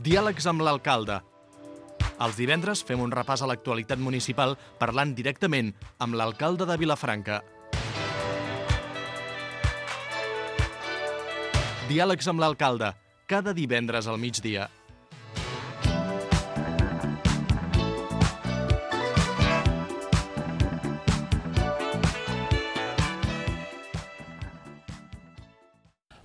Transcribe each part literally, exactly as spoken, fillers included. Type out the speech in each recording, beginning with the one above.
Diàlegs amb l'alcalde. Els divendres fem un repàs a l'actualitat municipal parlant directament amb l'alcalde de Vilafranca. Diàlegs amb l'alcalde, cada divendres al migdia.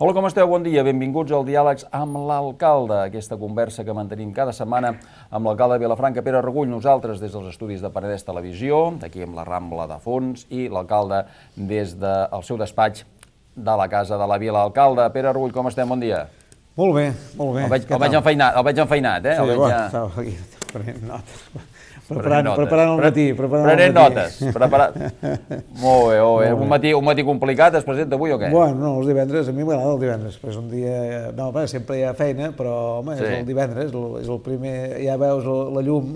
Hola, com esteu? Bon dia. Benvinguts al Diàlegs amb l'alcalde. Aquesta conversa que mantenim cada setmana amb l'alcalde de Vilafranca, Pere Regull, nosaltres des dels estudis de Penedès Televisió, aquí amb la Rambla de fons, i l'alcalde des del seu despatx de la Casa de la Vila. Alcalde, Pere Regull, com estem? Bon dia. Molt bé, molt bé. El veig, el veig enfeinat, el veig enfeinat, eh? Sí, el veig bueno, ja... estava aquí prenent notes. Preparant, preparant el matí. Preparant Prenent el matí. notes. Preparat... Molt bé, molt bé. Un matí, un matí complicat es presenta avui o què? Bueno, no, els divendres, a mi m'agrada el divendres, però és un dia... No, bé, sempre hi ha feina, però, home, Sí. és el divendres, és el, és el primer... Ja veus la llum.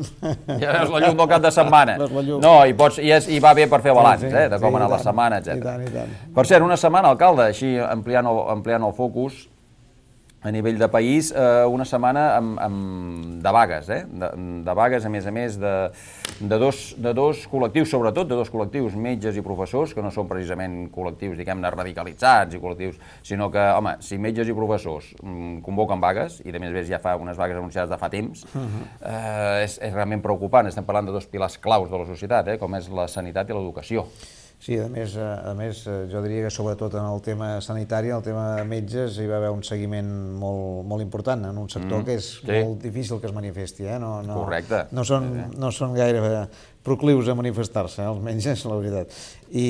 Ja veus la llum del cap de setmana. Veus la llum. No, i, pots, i, és, i va bé per fer balanç, Sí, sí, eh, de com sí, ha anat i la tant, setmana, i tant, etcètera. i tant. Per cert, una setmana, alcalde, així ampliant el, ampliant el focus, a nivell de país, eh, una setmana amb, amb, de vagues, eh? de, de vagues, a més a més, de, de, dos, de dos col·lectius, sobretot de dos col·lectius, metges i professors, que no són precisament col·lectius, diguem-ne, radicalitzats i col·lectius, sinó que, home, si metges i professors mm, convoquen vagues, i de més a més ja fa unes vagues anunciades de fa temps, uh-huh. eh, és, és realment preocupant. Estem parlant de dos pilars claus de la societat, eh? Com és la sanitat i l'educació. Sí, a més, a més, jo diria que sobretot en el tema sanitari, el tema de metges, hi va haver un seguiment molt, molt important en un sector mm, que és sí. molt difícil que es manifesti. Eh? No, no, Correcte. No són, no són gaire proclius a manifestar-se, eh, els metges, la veritat. I,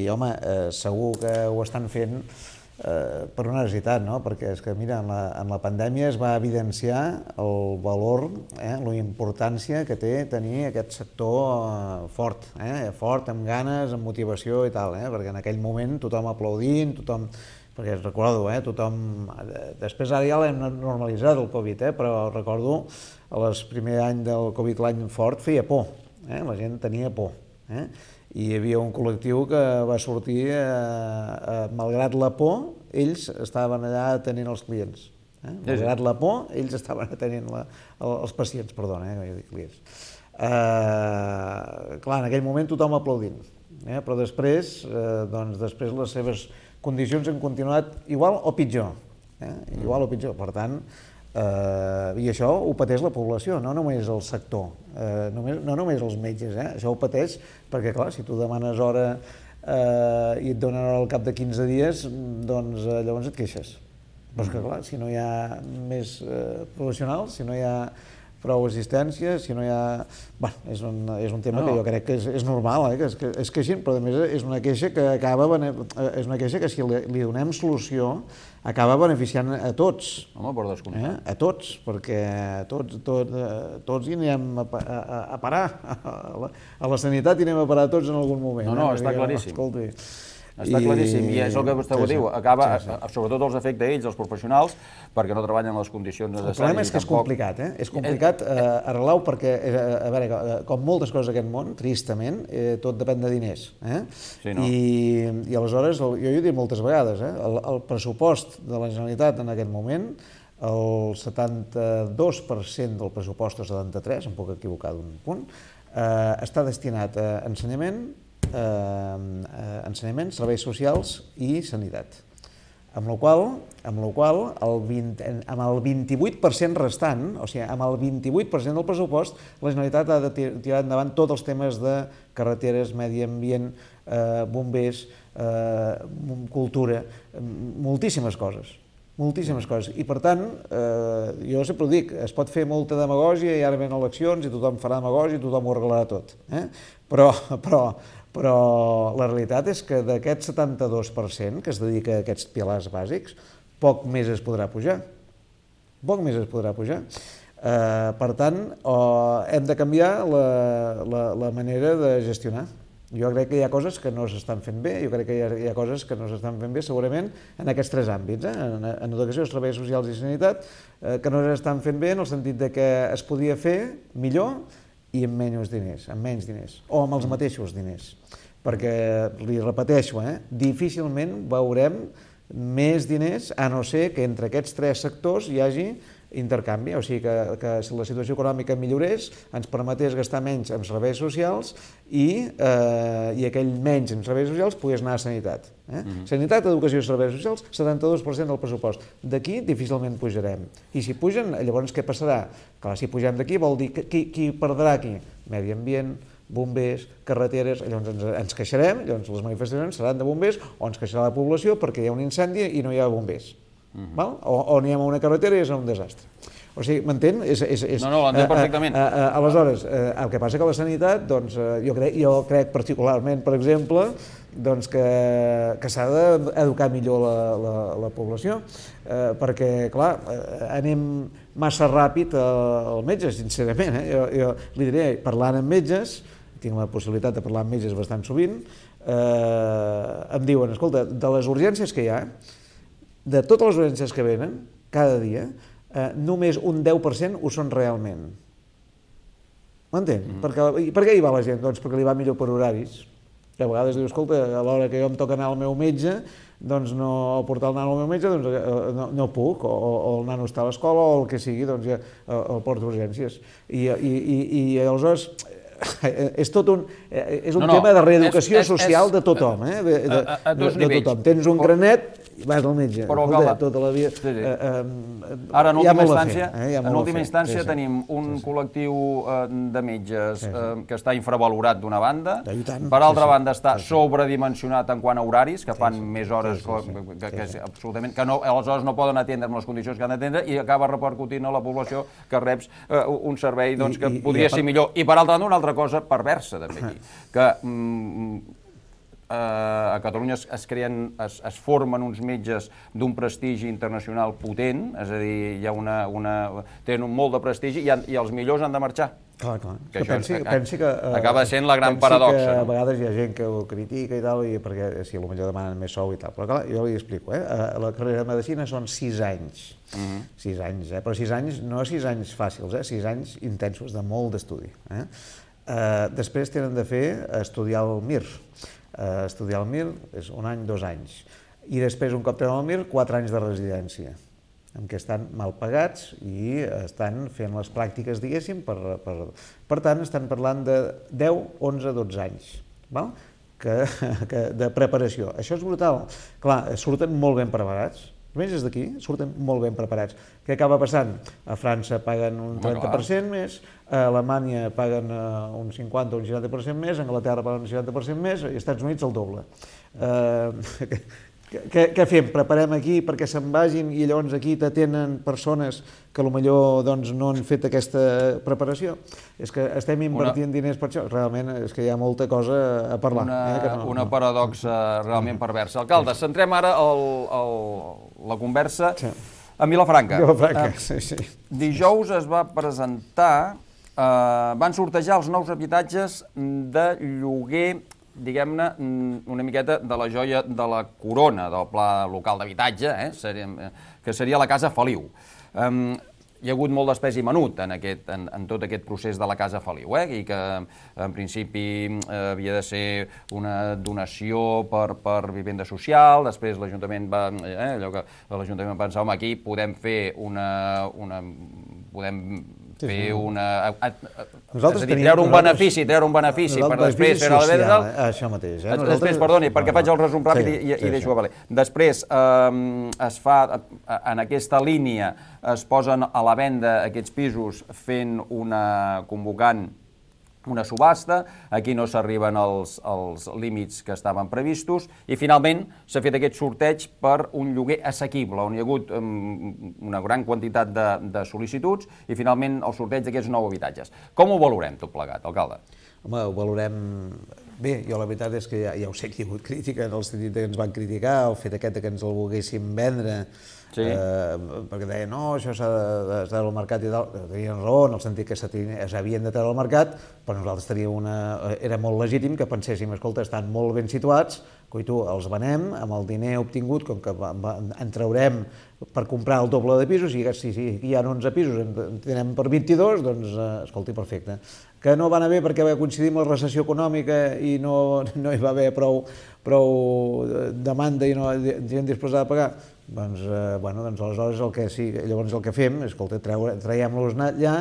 home, eh, segur que ho estan fent eh, per una necessitat, no? Perquè és que, mira, en la, en la pandèmia es va evidenciar el valor, eh, la importància que té tenir aquest sector eh, fort, eh, fort, amb ganes, amb motivació i tal, eh? Perquè en aquell moment tothom aplaudint, tothom... Perquè recordo, eh, tothom... Després ara ja l'hem normalitzat, el Covid, eh, però recordo, a les primer any del Covid, l'any fort, feia por, eh? La gent tenia por, eh? I hi havia un col·lectiu que va sortir, eh, eh, malgrat la por, ells estaven allà atenent els clients. Eh? Malgrat la por, ells estaven atenent la, els pacients, perdona, eh, no he dit clients. Eh, clar, en aquell moment tothom aplaudint, eh? Però després, eh, doncs, després les seves condicions han continuat igual o pitjor, eh? Igual o pitjor, per tant, Uh, i això ho pateix la població, no només el sector, uh, només, no només els metges, eh? Això ho pateix perquè, clar, si tu demanes hora uh, i et donen hora al cap de quinze dies, doncs uh, llavors et queixes. Però és que, clar, si no hi ha més uh, professionals, si no hi ha prou assistència, si no hi ha... Bueno, és un, és un tema no. que jo crec que és, és normal, eh? que es, que es queixin, però a més és una queixa que acaba... És una queixa que si li, li donem solució acaba beneficiant a tots. Home, per descomptat. Eh? A tots, perquè tots, tot, tots hi anem a, a, a parar. A la, a la sanitat hi anem a parar tots en algun moment. No, no, eh? està claríssim. Escolti, Està I... claríssim, i és el que vostè sí, ho diu, sí, acaba, sí, sí. sobretot els afecta a ells, els professionals, perquè no treballen en les condicions necessàries. El problema és que és complicat, eh? És complicat eh, arreglar-ho perquè, eh, a veure, com moltes coses d'aquest món, tristament, eh, tot depèn de diners. Eh? Sí, no? I, I aleshores, jo ho he dit moltes vegades, eh? el, el pressupost de la Generalitat en aquest moment, el setanta-dos per cent del pressupost, o setanta-tres, em puc equivocar d'un punt, eh, està destinat a ensenyament, Eh, eh, ensenyament, serveis socials i sanitat. Amb la qual, amb la qual el vint, amb el vint-i-vuit per cent restant, o sigui, amb el vint-i-vuit per cent del pressupost, la Generalitat ha de tirar endavant tots els temes de carreteres, medi ambient, eh, bombers, eh, cultura, moltíssimes coses. moltíssimes coses. I per tant, eh, jo sempre ho dic, es pot fer molta demagògia i ara ven eleccions i tothom farà demagògia i tothom ho arreglarà tot. Eh? Però, però, però la realitat és que d'aquest setanta-dos per cent que es dedica a aquests pilars bàsics, poc més es podrà pujar. Poc més es podrà pujar. Eh, per tant, oh, hem de canviar la, la, la manera de gestionar. Jo crec que hi ha coses que no s'estan fent bé, jo crec que hi ha, hi ha coses que no s'estan fent bé segurament en aquests tres àmbits, eh? en, en educació, serveis socials i sanitat, eh, que no s'estan fent bé en el sentit de que es podia fer millor i amb menys diners, amb menys diners, o amb els mateixos diners. Perquè, li repeteixo, eh, difícilment veurem més diners, a no ser que entre aquests tres sectors hi hagi intercanvi, o sigui que, que si la situació econòmica millorés, ens permetés gastar menys en serveis socials i, eh, i aquell menys en serveis socials pogués anar a sanitat. Eh? Mm-hmm. Sanitat, educació i serveis socials, setanta-dos per cent del pressupost. D'aquí difícilment pujarem. I si pugen, llavors què passarà? Clar, si pugem d'aquí vol dir que qui, qui perdrà aquí? Medi ambient, bombers, carreteres, llavors ens, ens queixarem, llavors les manifestacions seran de bombers o ens queixarà la població perquè hi ha un incendi i no hi ha bombers. Mm-hmm. Val? O, o anem a una carretera i és un desastre. O sigui, m'entén? És, és, és, no, no, l'entén perfectament. A, a, a, aleshores, eh, el que passa que la sanitat, doncs, eh, jo, crec, jo crec particularment, per exemple, doncs que, que s'ha d'educar millor la, la, la població, eh, perquè, clar, eh, anem massa ràpid al metge, sincerament. Eh? Jo, jo li diré, parlant amb metges, tinc la possibilitat de parlar amb metges bastant sovint, eh, em diuen, escolta, de les urgències que hi ha, de totes les urgències que venen, cada dia, eh, només un deu per cent ho són realment. M'entén? Mm. Perquè, per què hi va la gent? Doncs perquè li va millor per horaris. I a vegades diu, escolta, a l'hora que jo em toca anar al meu metge, doncs no portar el nano al meu metge, doncs no, no puc, o, o el nano està a l'escola, o el que sigui, doncs ja el porto a urgències. I, i, i, i aleshores és tot un, és un no, no, tema de reeducació és, és, social és, de tothom, eh? de, de, a, a dos de, de tothom. Tens un granet i vas al metge. Però, Escolta, tota la vida. Sí, sí. Eh, eh, Ara, en última instància, fer, eh? en última instància sí, sí. tenim un sí, sí. col·lectiu eh, de metges sí, sí. Eh, que està infravalorat d'una banda, tant, per altra sí, banda està sí, sí. sobredimensionat en quant a horaris, que fan sí, sí. més hores sí, sí, sí. que, que, sí, sí. absolutament, que no, aleshores no poden atendre en les condicions que han d'atendre i acaba repercutint a la població que reps eh, un servei doncs, que I, i, podria i ser part... millor. I per altra banda, una altra cosa perversa també aquí, que mm, eh, a Catalunya es, es creen, es, es formen uns metges d'un prestigi internacional potent, és a dir, hi ha una, una, tenen un molt de prestigi i, han, i els millors han de marxar. Clar, clar. Que, que pensi, això, pensi que, uh, acaba sent la gran paradoxa. Que no? A vegades hi ha gent que ho critica i tal, i perquè si potser demanen més sou i tal, però clar, jo li explico, eh? La carrera de medicina són sis anys, uh-huh. sis anys, eh? Però sis anys, no sis anys fàcils, eh? sis anys intensos, de molt d'estudi. Eh? Uh, després tenen de fer estudiar el M I R. Uh, estudiar el M I R és un any, dos anys. I després, un cop tenen el M I R, quatre anys de residència, en què estan mal pagats i estan fent les pràctiques, diguéssim, per, per, per tant, estan parlant de deu, onze, dotze anys, val? Que, que, de preparació. Això és brutal. Clar, surten molt ben preparats, els metges d'aquí surten molt ben preparats. Què acaba passant? A França paguen un trenta per cent més, a Alemanya paguen un cinquanta o un seixanta per cent més, a Anglaterra paguen un seixanta per cent més, i als Estats Units el doble. Eh, Què, què fem? Preparem aquí perquè se'n vagin i llavors aquí t'atenen persones que potser doncs, no han fet aquesta preparació? És que estem invertint una, diners per això. Realment és que hi ha molta cosa a parlar. Una, eh, que no, una no. paradoxa realment perversa. Alcalde, centrem ara el, el, la conversa sí. a Vilafranca. Vilafranca, uh, sí, sí. Dijous es va presentar, uh, van sortejar els nous habitatges de lloguer, diguem-ne, una miqueta de la joia de la corona del Pla Local d'Habitatge, eh? seria, que seria la Casa Feliu. Um, hi ha hagut molt d'espès i menut en, aquest, en, en tot aquest procés de la Casa Feliu, eh? I que en principi eh, havia de ser una donació per, per vivenda social, després l'Ajuntament va, eh, allò que l'Ajuntament va pensar, home, aquí podem fer una, una podem fer una... A, a, a, nosaltres és a dir, treure un benefici, treure un benefici per després fer el social, eh? Això mateix. Eh? Després, perdoni, perquè faig el resum ràpid sí, i, i, sí, i deixo sí. valer. Després, eh, es fa, en aquesta línia, es posen a la venda aquests pisos fent una... convocant una subhasta, aquí no s'arriben als, als límits que estaven previstos i finalment s'ha fet aquest sorteig per un lloguer assequible, on hi ha hagut um, una gran quantitat de, de sol·licituds i finalment el sorteig d'aquests nou habitatges. Com ho valorem tot plegat, alcalde? Home, ho valorem bé. Jo la veritat és que ja, ja ho sé que hi ha hagut crítica, en el sentit que ens van criticar, el fet aquest que ens el volguéssim vendre, sí. eh, perquè deien, no, això s'ha de, de treure al mercat i tal. Tenien raó, en el sentit que s'havien de treure al mercat, però nosaltres teníem una... Era molt legítim que penséssim, escolta, estan molt ben situats, coito, els venem, amb el diner obtingut, com que en traurem per comprar el doble de pisos, i si, si hi ha onze pisos, en tenem per vint-i-dos, doncs, eh, escolti, perfecte. Que no va anar bé perquè va coincidir amb la recessió econòmica i no, no hi va haver prou, prou demanda i no gent disposada a pagar, Doncs, eh, bueno, doncs aleshores el que, sí, llavors el que fem és, escolta, traiem-los allà,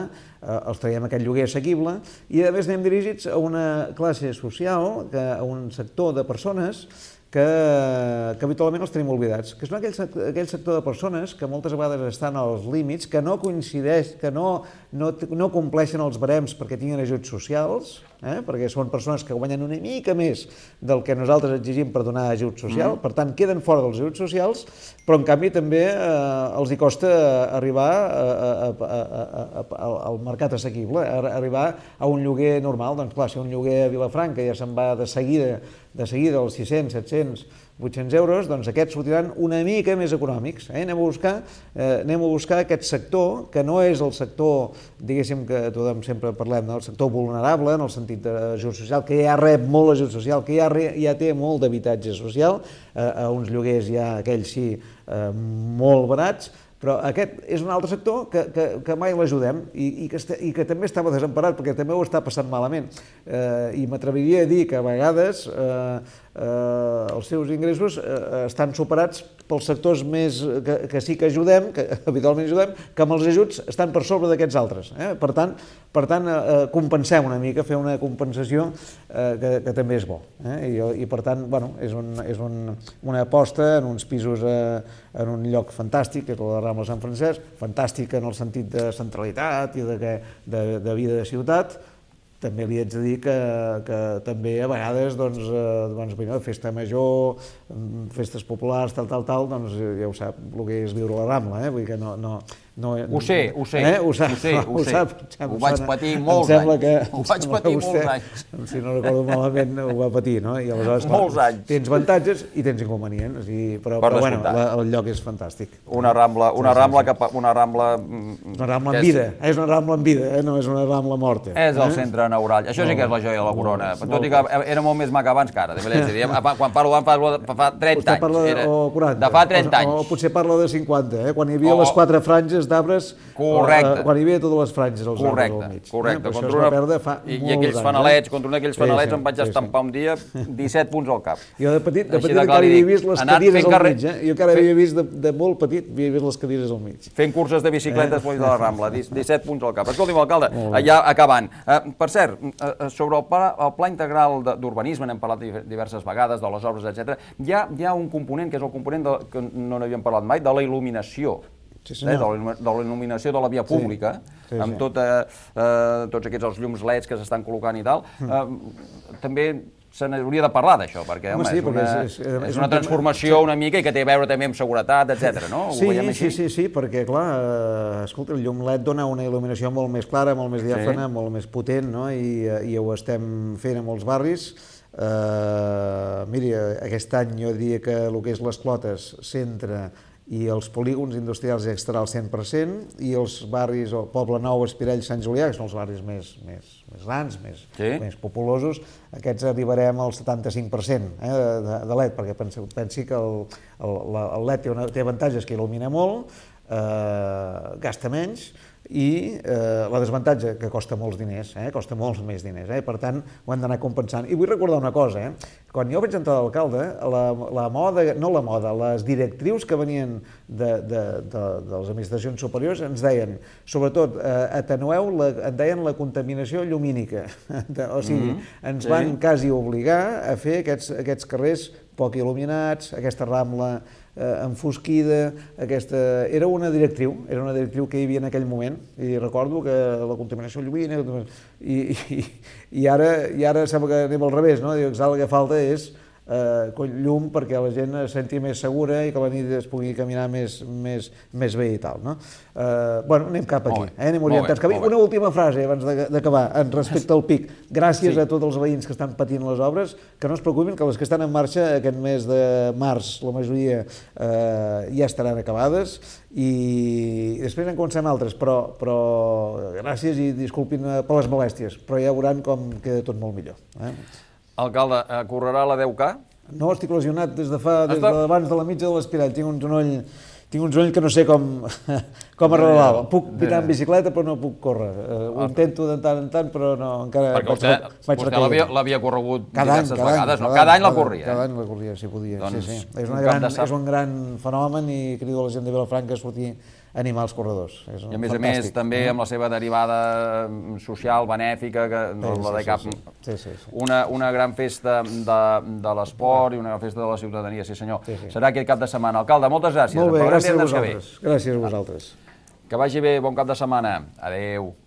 eh, els traiem aquest lloguer assequible i a més anem dirigits a una classe social, que, a un sector de persones que, que habitualment els tenim oblidats, que són aquell, aquell sector de persones que moltes vegades estan als límits, que no coincideix, que no, no, no compleixen els barems perquè tinguin ajuts socials, eh? perquè són persones que guanyen una mica més del que nosaltres exigim per donar ajut social, mm. per tant queden fora dels ajuts socials, però en canvi també eh, els hi costa arribar a, a, a, a, a, al mercat assequible, arribar a un lloguer normal. Doncs clar, si un lloguer a Vilafranca ja se'n va de seguida, de seguida als sis-cents, set-cents, vuit-cents euros, doncs aquests sortiran una mica més econòmics. Eh? Anem a buscar, eh, anem a buscar aquest sector, que no és el sector, diguéssim, que tothom sempre parlem, no? El sector vulnerable, en el sentit d'ajut social, que ja rep molt ajut social, que ja, re, ja té molt d'habitatge social, eh, a uns lloguers ja aquells sí eh, molt barats, però aquest és un altre sector que, que, que mai l'ajudem i, i, que este, i que també estava desemparat perquè també ho està passant malament. Eh, I m'atreviria a dir que a vegades eh, eh, els seus ingressos eh, estan superats pels sectors més que, que sí que ajudem, que habitualment ajudem, que amb els ajuts estan per sobre d'aquests altres. Eh? Per tant, per tant eh, compensem una mica, fer una compensació eh, que, que també és bo. Eh? I, I per tant, bueno, és, un, és un, una aposta en uns pisos eh, en un lloc fantàstic, que és la Rambla Sant Francesc, fantàstic en el sentit de centralitat i de, que, de, de vida de ciutat. També li haig de dir que, que també a vegades, doncs, eh, doncs mira, festa major, festes populars, tal, tal, tal, doncs ja ho sap, el que és viure a la Rambla, eh? Vull dir que no... no No, ho sé, ho sé, eh? ho, sap, ho sé, ho, ho sé. sap. Ho vaig patir molts anys. Que, ho vaig patir vostè, molts anys. Si no recordo malament, ho va patir, no? I aleshores, molts clar, anys. Tens avantatges i tens inconvenients, i, però, però bueno, la, el lloc és fantàstic. Una rambla, una sí, rambla, sí, sí. Que, una rambla... Una rambla en vida, és, és una rambla en vida, eh? No és una rambla morta. És el eh? centre neuràlgic, això sí que és la joia de la corona, tot i que era molt més maca abans que ara, també l'he de dir, quan parlo d'abans fa trenta anys, parla de, era, o quaranta, de fa trenta anys. O, o potser parla de cinquanta, eh? Quan hi havia o, les quatre franges d'arbres, correcte. Quan hi havia totes les franges als correcte, arbres al mig. correcte. Eh? Contra això es va perdre fa I, molts i aquells anys. fanalets, eh? contra un d'aquells sí, fanalets sí, em vaig sí, estampar sí. un dia disset punts al cap. Jo de petit, de Així petit de encara clar, havia vist les cadires al carrer... mig, eh? Jo encara havia vist, de, de molt petit, havia vist les cadires al mig. Fent curses de bicicletes eh? de la Rambla, disset punts al cap. Escolti'm, alcalde, ja acabant. Uh, per cert, uh, sobre el pla, el pla integral d'urbanisme, n'hem parlat diverses vegades, de les obres, etcètera, hi ha, hi ha un component, que és el component de, que no n'havíem parlat mai, de la il·luminació. Sí, eh, de, la, de la il·luminació de la via pública, sí, sí, amb tot, eh, eh, tots aquests els llums L E Ds que s'estan col·locant i tal. Eh, també se n'hauria de parlar d'això, perquè, home, home sí, és, una, és, és, és, és una transformació tema... una mica i que té a veure també amb seguretat, etcètera, no? Sí, sí, sí, sí, perquè, clar, eh, escolta, el llum L E D dona una il·luminació molt més clara, molt més diàfana, sí. molt més potent, no? I, i ho estem fent a molts barris. Uh, miri, aquest any jo diria que el que és les Clotes, centre i els polígons industrials ja estarà al cent per cent, i els barris, el Poble Nou, Espirell, Sant Julià, que són els barris més, més, més grans, més, sí. més populosos, aquests arribarem al setanta-cinc per cent eh, de, de L E D, perquè pensi, pensi que el, el, el L E D té, una, té avantatges que il·lumina molt, eh, gasta menys, i eh, la desavantatge que costa molts diners, eh? costa molts més diners, eh? per tant ho hem d'anar compensant. I vull recordar una cosa, eh? Quan jo vaig entrar d'alcalde, la, la moda, no la moda, les directrius que venien de, de, de, de les administracions superiors ens deien, sobretot, eh, atenueu, la, en deien la contaminació llumínica, o sigui, mm-hmm. ens van sí. quasi obligar a fer aquests, aquests carrers poc il·luminats, aquesta Rambla eh, enfosquida, aquesta... Era una directriu, era una directriu que hi havia en aquell moment, i recordo que la contaminació llumínica... I, i, i, ara, i ara sembla que anem al revés, no? Diu que el que falta és eh, llum perquè la gent es senti més segura i que a la nit es pugui caminar més, més, més bé i tal, no? Eh, bueno, anem cap aquí, eh? anem orientats cap aquí. Una última frase abans d'acabar, respecte al P I C. Gràcies sí. a tots els veïns que estan patint les obres, que no es preocupin, que les que estan en marxa aquest mes de març, la majoria eh, ja estaran acabades, i després en comencem altres, però, però gràcies i disculpin per les molèsties, però ja veuran com queda tot molt millor. Eh? Alcalde, correrà la deu K? No, estic lesionat des de fa, des d'abans de la mitja de l'Espirall. Tinc un genoll, tinc un genoll que no sé com, com arreglar-lo. Puc pitar en bicicleta, però no puc córrer. Uh, ho intento de tant en tant, però no, encara... Perquè vostè, vaig vostè l'havia corregut cada diverses any, cada vegades, any, no? Cada any la corria. Cada any la corria, si podia. Doncs, sí, sí. És, una un gran, cap de és un gran fenomen i crido a la gent de Vilafranca a sortir a animar els corredors. És I a més a més, també amb la seva derivada social, benèfica, que no Sí, la de sí, cap... sí, sí. Sí, sí. Una, una gran festa de, de l'esport i una gran festa de la ciutadania, sí senyor. Sí, sí. Serà aquest cap de setmana. Alcalde, moltes gràcies. Molt bé, En parlarem gràcies a divendres que ve. vosaltres. Gràcies a vosaltres. Que vagi bé, bon cap de setmana. Adéu.